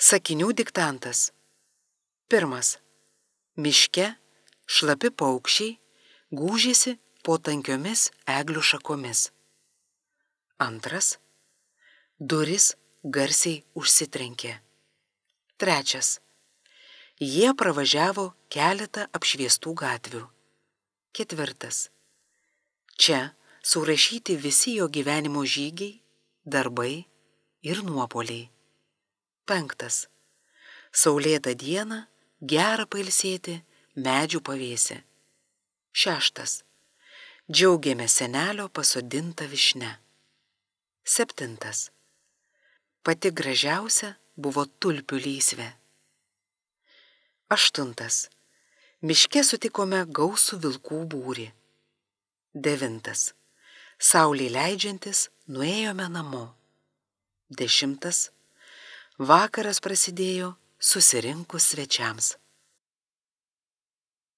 Sakinių diktantas. 1. Miške šlapi paukščiai gūžėsi po tankiomis eglių šakomis. 2. Durys garsiai užsitrenkė. 3. Jie pravažiavo keletą apšviestų gatvių. 4. Čia surašyti visi jo gyvenimo žygiai, darbai ir nuopuoliai. 5. Saulėtą dieną gera pailsėti medžių pavėse. 6. Džiaugėmės senelio pasodinta vyšnia. 7. Pati gražiausia buvo tulpių lysvė. 8. Miške sutikome gausų vilkų būrį. 9. Saulei leidžiantis nuėjome namo. 10. Vakaras prasidėjo susirinkus svečiams.